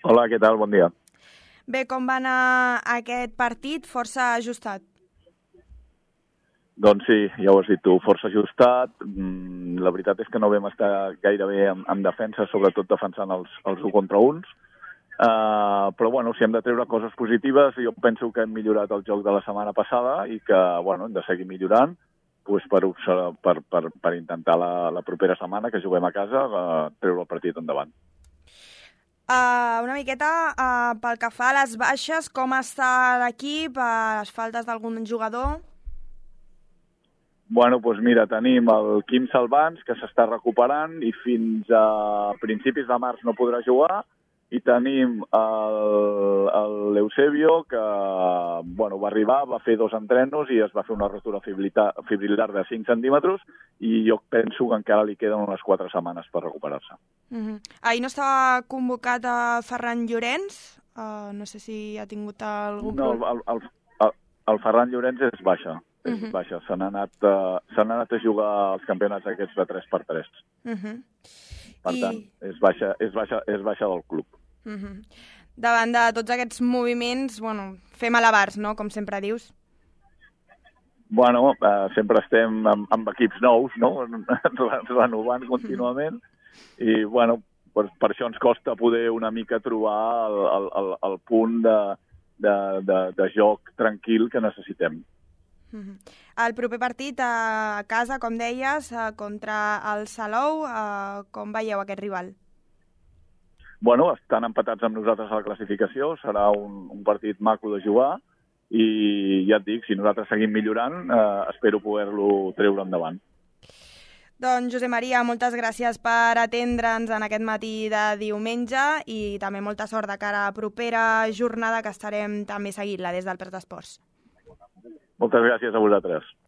Hola, què tal? Bon dia. Bé, com va anar aquest partit? Força ajustat. Doncs sí, ja ho has dit tu, força ajustat. La veritat és que no vam estar gaire bé en defensa, sobretot defensant els 1 contra 1. Però bueno, si hem de treure coses positives, jo penso que hem millorat el joc de la setmana passada i que hem de seguir millorant per intentar la propera setmana, que juguem a casa, treure el partit endavant. Una miqueta pel que fa a les baixes, com està l'equip, les faltes d'algun jugador? Bueno, doncs mira, tenim el Quim Salvans, que s'està recuperant i fins a principis de març no podrà jugar, i tenim l'Eusebio, que va arribar, va fer 2 entrenos i es va fer una rotura fibrillar de 5 centímetres i jo penso que encara li queden unes 4 setmanes per recuperar-se. Ahir no estava convocat a Ferran Llorenç? No sé si ha tingut algun problema. No, el Ferran Llorenç és baixa. És baixa. Se n'ha anat a jugar als campionats aquests de 3x3. Per tant, és baixa del club. Davant de tots aquests moviments, fem alabars, no?, com sempre dius. Bueno, sempre estem amb equips nous, no?, renovant contínuament, i per això ens costa poder una mica trobar el punt de joc tranquil que necessitem. El proper partit a casa, com deies, contra el Salou, com veieu aquest rival? Bueno, estan empatats amb nosaltres a la classificació, serà un partit maco de jugar i ja et dic, si nosaltres seguim millorant, espero poder-lo treure endavant. Doncs, Josep Maria, moltes gràcies per atendre'ns en aquest matí de diumenge i també molta sort de cara a la propera jornada, que estarem també seguint-la des del Prat Esports. Moltes gràcies a vosaltres.